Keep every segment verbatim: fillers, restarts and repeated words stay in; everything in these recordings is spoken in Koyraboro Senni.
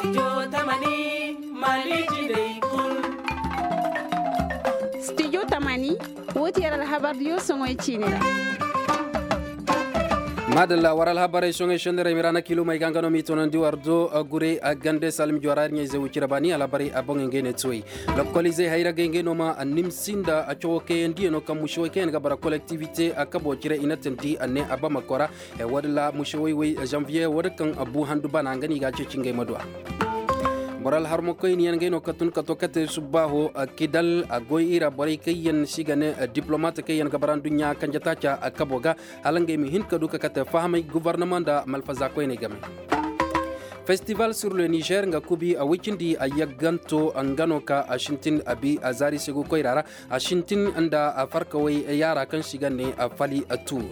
Studio tamani, wo ti yer alhabar diyo soŋoy ciini ra. Maadalla war alhabarey soŋey senderey mira na kilomey ga nga no m'i toonandi war do gure gande salmi jora ir ɲayze wucira baani alhabarey a boŋey ngey ne tuwey. Lokkolizey hayra gay ngey no ma nimsi nda cawo kayandiyano kaŋ mušewey kaŋ yaŋ ga bara kolektivite kabo cire i na tandi a ne a bama kora. Woo din ra mušewey wey janviye woo din kaŋ bu handu bana nga no i ga a ceeci ngey ma du a. Boro alharmakoyniyaŋ ngey no ka tun ka to kate subbaaho kidal a goy i ra borey kaŋ yaŋ se i ga ne diplomat kaŋ yaŋ ga bara nduɲɲa kanje taaca kabo ga. Hala ngey ma hin ka du ka kate fahamay gobornama nda malfaza koyney game. Festival sur le niger nga kubi a woy cindi a yagganto nga no ka a sintin a bi a zaari segu koyra ra. A sintin nda a farkawey yaara kaŋ se i ga ne a fali a tuur.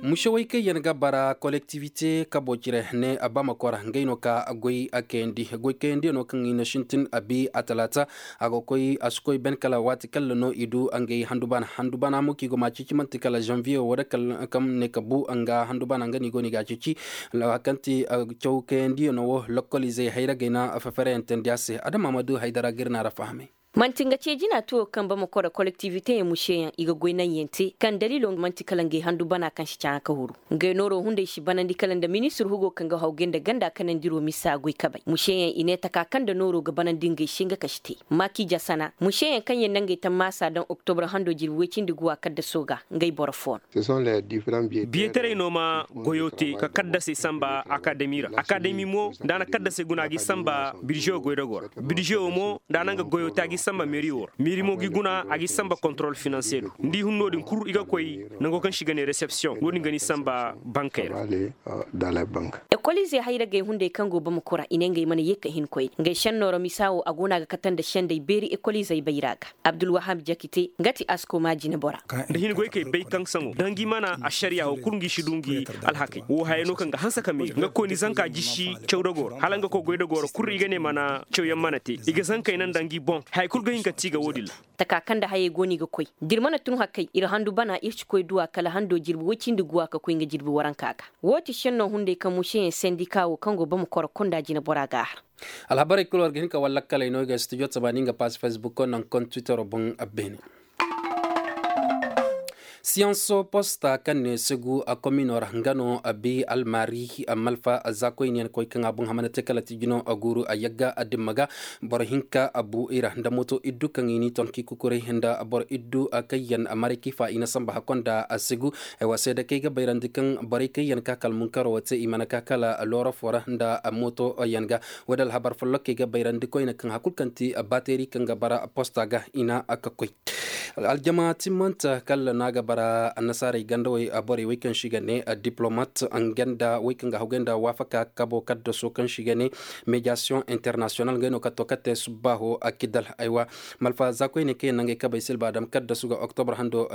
Mušewey kaŋ yaŋ ga bara kolektivite kabo cire ne a bama kora ngey no ka goy a kayandi goy kayandiyaŋo kaŋ i na sintin a bi a talaata. A ga koy a si koy ben kala waati kalla no i du ngey handu bana handu bana mo kaŋ i go ma a ceeci manti kala zanviye woo da kala kaŋ ne ka bu nga handu bana nga no i go no i ga a ceeci. Kaŋ ti caw kayandiyaŋo wo lokkolizey hayra gay na fefereyantandi a se adama ma du haydara ga ir na ra fahamay. Manti nga ce jina tuwo kaŋ bama koro kolektiviteyaŋ mušeyaŋ i ga goy naŋyaŋ te kaŋ daliilo manti kala ngey handu bana kaŋ si caaŋa ka huru. Ngey nooro hunday si banandi kala nda ministir hugo kaŋ ga hawgay nda ganda kanandiro misa goy kabay mušeyaŋ i ne taka kaŋ nda nooro ga banandi ngey se nga ka si te. Maaki jasana mušeyaŋ kaŋ yaŋ na ngey tammaasa daŋ oktobra hando jirbi woy cindi guwa kaddaso ga ngey boro fo no. Biyetaray no ma goyo te ka kaddasey samba akademi ra akademi mo nda a na kaddasey guna a g'i samba birzewo goydago ra. Birzewo mo nda a na nga goyo te a g'i samba meri wo ra meri mo g'i guna a g'i samba kontorol finanse do. Nda i hun no-din kul i ga koy nango kaŋ se i ga ne resepsiyoŋ wo-din ga ni samba bankey ra. Ekoliizey hayragey hunday kaŋ go bamako ra i ne ngey mana ye ka hin koyne ngey senno ra misa wo a go no a ga kate nda sendey beeri ekoliizey bayra ga. Abdulwahab jakite nga ti askoma jinebora. Nda hin goy kay bay kaŋ saŋo da ngi mana ašariya wo kul ngi si du ngi alhakey wo hayey no kaŋ ga hanse ka meeri nga kooni zanka jisi cawdago ra hala nga koy goydago ra kul i ga ne mana cawyaŋ mana te i ga zankey naŋ nda ngi boŋ haya kul ga hin ka ti ga wo-din ra. Taka kaŋ nda hayey go no i ga koy da ir mana tun hakay ir handu bana ir si koy duwa kala hando jirbi woy cindi guwa ka koy nga jirbi waranka ga. Wo ti senno hunday kaŋ museyaŋ sendika wo kaŋ go bamako ra kunda jinebora ga a har. Alhabarey kul war ga hin ka war lakkaley no i ga studio tamaani nga pass facebook nangu kaŋ twittero boŋ a beene. Siyanso posta kaŋ ne segu a komino ra nga no a bi almaari malfa zaakoyniyaŋ koy kaŋ a boŋ hamana te kala ti jino a guuru a yagga a dimma ga. Boro hinka a bu i ra nda moto iddu kaŋ i n'i ton k'i kukuray nda boro iddu kaŋ yaŋ a maray k'i fa i na samba hakko nda a segu. Ay wa seeda kaŋ ay ga bayrandi kaŋ borey kaŋ yaŋ ka kala munkaro wo te i mana ka kala looro fo ra nda moto yaŋ ga. Wo- din alhabar folloŋ kaŋ ay ga bayrandi koyne kaŋ hari kulu kaŋ ti bateeri kaŋ ga bara posta ga i na a ka koy. Aljama timmante kala no a ga bara annasaarey gandawey borey wey kaŋ se i ga ne diplomat nga nda wey kaŋ ga hawgay nda waafaka kabo kaddaso kaŋ se i ga ne mediyasiyoŋ internasiyonal ngey no ka to ka te subbaaho kidal aywa. Malfa zaakoyney kaŋ yaŋ na ngey kabey silba dam kaddasu ga oktobre hando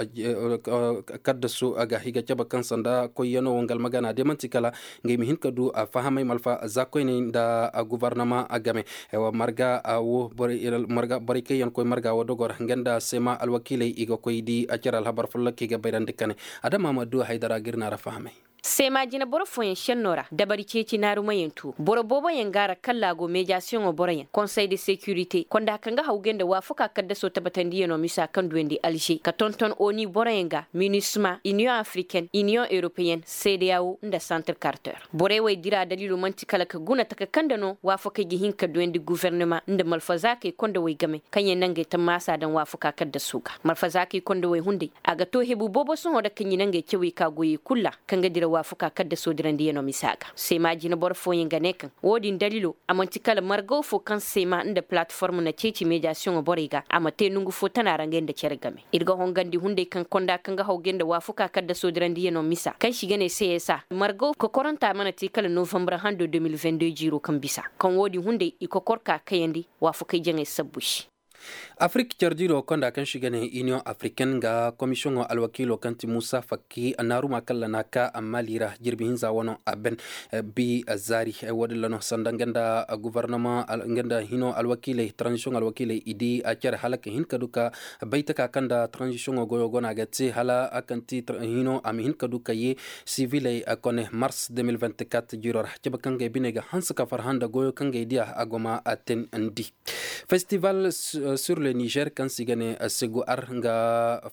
kaddasu ga i ga cabe kaŋ sanda koyyaŋo wo nga almagana day man'ti kala ngey ma hin ka du fahamay malfa zaakoyney nda gobornama game. Marga wo borey kaŋ yaŋ koy marga wo dogo ra nga nda seema alwakiiley i ga koy di cere alhabar folloŋ kaŋ i ga bayrandi kane. Adama ma du haydara ga ir na ra fahamay. Seema jineboro fooyaŋ senno ra dabari ceeci naarumayaŋ tu boro booboyaŋ ga a ra kalla a go meediyasiyoŋo boroyaŋ konsey de sekirite konda kaŋ ga hawgay nda waafaka kaddaso tabatandiyaŋo misa kaŋ duyandi alže ka tonton oni boroyaŋ ga minisma iniyoŋ afriken iniyoŋ europeyen seedeyawo nda santir karter. Borey wey dira daliilo man'ti kala ka guna taka kaŋ nda no waafakey ga hin ka duyandi gufernema nda malfazaakey kondowey game kaŋ yaŋ na ngey tammaasa daŋ waafaka kaddaso ga malfazaakey kondowey hunday. A ga to hebu boobo sohõ ra kaŋ i na ngey cawey ka goyey kulu ra kaŋ ga dira waafaka kaddaso dirandiyaŋo misa ga seema jineboro fooyaŋ ga ne kaŋ wo-din daliilo a man'ti kala margaw fo kaŋ seema nda palatiform na ceeci meediyasiyoŋo borey ga a ma te nongu fo tana ra ngey nda cere game. Ir ga hongandi hunday kaŋ konda kaŋ ga hawgay nda waafaka kaddaso dirandiyaŋo misa kaŋ se i ga ne csa margaw kokoranta mana te kala novambar hando deux mille vingt deux jiiro kaŋ bisa kaŋ wo-din hunday i kokor ka kayandi waafakey jaŋey sabbu se. Afirik care diiro konda kaŋ se i ga ne iniyoŋ afiriken ga komisiyoŋo alwakiilo kaŋ ti muusa fakki naaruma kaŋ ra na a ka maali ra jirbi hinza wano a ben bi zaari. Wo- din ra no sanda nga nda gofornama nga nda hino alwakiiley taranzisiyoŋ alwakiiley i di care hala ka hin ka du ka bay taka kaŋ nda taranzisiyoŋo goyo go no a ga te hala kaŋ ti hino a ma hin ka du ka ye siviley kone mars deux mille vingt-quatre jiiro ra cabe kaŋ ga ay bine ga hanse ka farhã nda goyo kaŋ ga ay diya a go ma a teenandi. Festival sur le niger kaŋ se i ga ne segu ar nga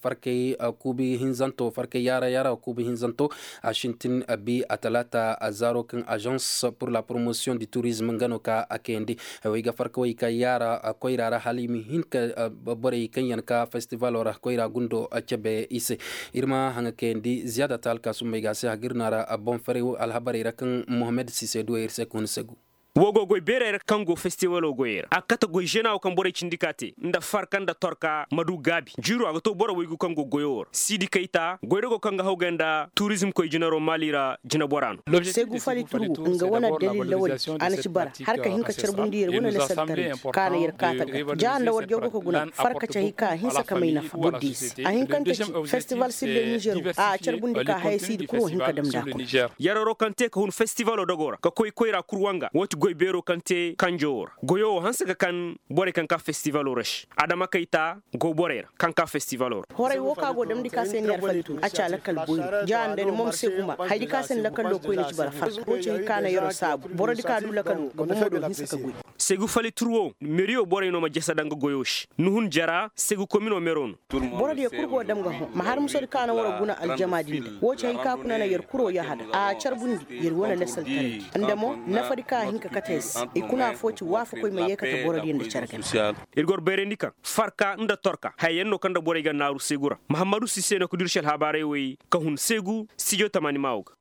farkay kuubi hinzanto farkay yaara yaara kuubi hinzanto a sintin bi a talaata zaaro kaŋ agence pour la promotion du tourisme nga no ka a kayandi. Wey ga farkawey ka yaara koyra ra hala i ma hin ka borey kaŋ yaŋ ka festivalo ra koyra gundo cabe i se. Ir ma haŋa kayandi ziyaada ta alkaasumbey ga a se hagir no a ra boŋ faray alhabarey ra kaŋ mohammed sise duwey ir se ka hun segu. Wo go goy beerey ra kaŋ go festivalo goyey ra a kate goy žena wo kaŋ borey cindi ka te nda farka nda torka ma du gaabi jiiro a ga to boro waygu kaŋ go goyo wo ra siidi kayta goydago kaŋ ga hawgay nda turizm koy jinaro maali ra jinabora no. Segu fali turgu nga wane dalil lawali a na ci bara har ka hin ka carbundi yer wane lasaltaray ka na yer kaata ga ja nda war jawgo ka guna farka ci hay ka a hinsa ka may nafa boro diize a hin kaŋ ka ci festival sille nizer wo a carbundi ka haya siidi kuro hin ka dam nda a kuna. Yararo kaŋ te ka hun festivalo dogo ra ka koy koyra kul wanga wo ti goy beero kaŋ te kanjo wo ra goyo wo hanse ka kan borey kaŋ ka festivalo ra se adama kayta go borey ra kaŋ ka festivalo ra. Horay wo ka go damndi ka se ni yar fali tun a ci a lakkal boyri ja nda ni mo ma se guma haydi ka se ni lakkallo koyne ci bara farka wo ci hay ka na yaro saabu borodi ka du lakkal wo ga bomo do hinsa ka goy. Segu fali tur wo meriyo borey no ma jasa danga goyo se ni hun jara segu komino mero no. Borodiyo kul go dam ga hõ ma har musodi ka na waro guna aljama din da wo ci hay ka kuna na yer kuro yahada a carbundi yer wane lasaltarandi nda mo nafadi ka a hin ka kate se i kuna fo ci waafakoy ma yeekate borodiyo nda care gana. Ir gor bayrandi kaŋ farka nda torka haya yaŋ no kaŋ nda borey ga naaru segu ra mahammadu sise no ka dursi alhabaarey wey ka hun segu stijo tamaani maawo ga.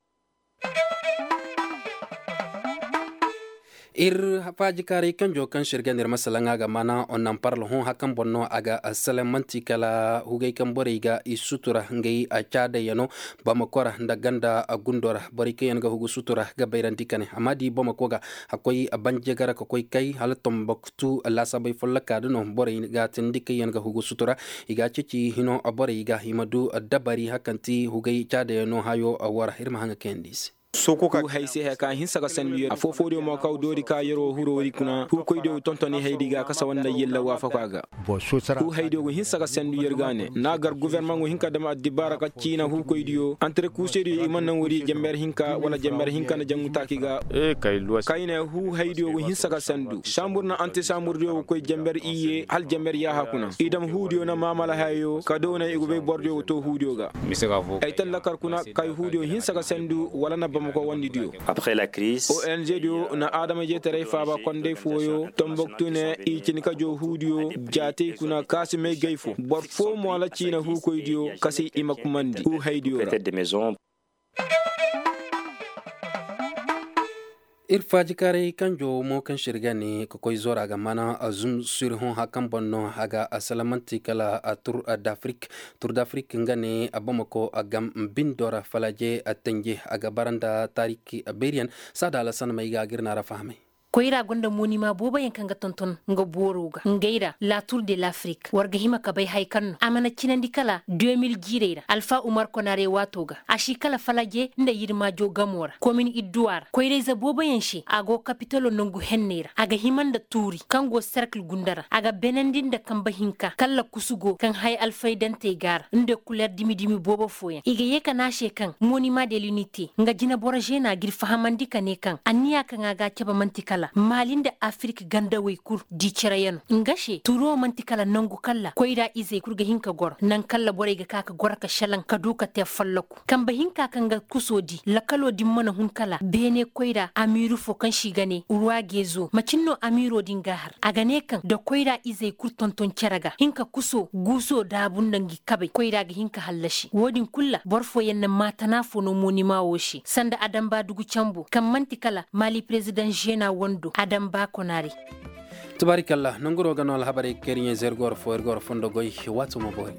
Ir faajikaaray kanjo kaŋ se ir ga nda ir ma salaŋ a ga maana onnan parla hõ hakaŋ boŋ no a ga salaŋ man'ti kala hugay kaŋ borey ga i sutura ngey caadayyano bamako ra nda ganda gundo ra borey kaŋ yaŋ ga hugu sutura ga bayrandi ka ne a ma di bamako ga a koy banjega ra ka koy kay hala tomboktu laasabey folloka da no borey ga tindi kaŋ yaŋ ga hugu sutura i ga a ceeci hino borey ga i ma du dabari hakaŋ ti hugay caadayyano hayo wara ir ma haŋa kayandi i se. Huu hay se haya ka hinsa ga sandu yer afoo-foo diyo mo kaw doori ka yeroo huroo di kuna huukoy diyo ga tontoni haydi ga kasa wanda yella waafako a ga. Huu hay diyo ga hinsa ga sandu yer ga ne na a gar gofornamaŋ go hin ka dam addibaara ka ciina huukoy diyo antre kuuse diyo i mana naŋ woodi jenber hinka wala jenber hinka nda jangu taaki ga. Kayne huu hay diyo ga hinsa ga sandu saambur na ante saambur diyo ga koy jenber iyye hala jenber yaaha kuna i dam huu diyo na maamala hayo ka doonay i go bay boro diyo ga too huu diyo ga. Ay tallakar kuna kay huudiyo hinsa ga sandu wala na bamako wandidiyo. Ong diyo na adama jeetaray faaba konday fooyo tomboktu ne i cini ka joo huudiyo jaatey kuna kaasi may gay fo boro foo mo ala ciina huukoydiyo kasi i ma kumandi huu haydiyo ra. Ir faajikaaray kanjo mo kaŋ se ir ga ne ka koy zora ga mana zum suri hõ hakaŋ boŋ no a ga salamanti kala tur d'afrik. Tur d'afrik nga ne bamako gam bindo ra falaje tanje a ga bara nda taariki beeriyaŋ saada alasan may ga a ga ir na ra fahamay. Koyra gonda moonima booboyaŋ kaŋ ga tonton nga booro ga ngey ra la tour de l'afrik war ga hima ka bay hay kaŋ no a mana cinandi kala deux mille jiirey ra alfa umar konare waato ga a si kala falaje nda yirmaajo gamo ra komin idduwa ra koyrayze booboyaŋ se a go kapitalo nangu henney ra a ga hima nda tuuri kaŋ go serkil gunda ra a ga benandi nda kambe hinka kala kusu go kaŋ hay alfaydantey ga ra nda kuler dimi-dimi boobo fooyaŋ i ga ye ka ne a se kaŋ moonima de linite nga jineboro zeena g'ir fahamandi ka ne kaŋ anniya kaŋ a ga a cabe man'ti kala maali nda afirik gandawey kul di cere yaŋ no nga se turo man'ti kala nangu kala koyra izey kul ga hin ka goro naŋ kala borey ga ka ka goro ka selaŋ ka du ka te folloku kambe hinka kaŋ ga kuso di lakalo din mana hun kala beene koyra amiiru fo kaŋ se i ga ne ruwa geezo macin no amiiro din ga a har a ga ne kaŋ da koyra izey kul tonton cere ga hin ka kuso guuso daabu nda ngi kabey koyra ga hin ka hallasi wo-din kul ra boro fooyaŋ na maatana fo no moonima wo se sanda adamba dugu cambo kaŋ man'ti kala maali perezidaŋ zeena wando adamba konare. Tubaarikalla nanguro ga no alhabarey kaŋ ir ɲa-ize ir go war fo ir go war fondo goy waato ma boori.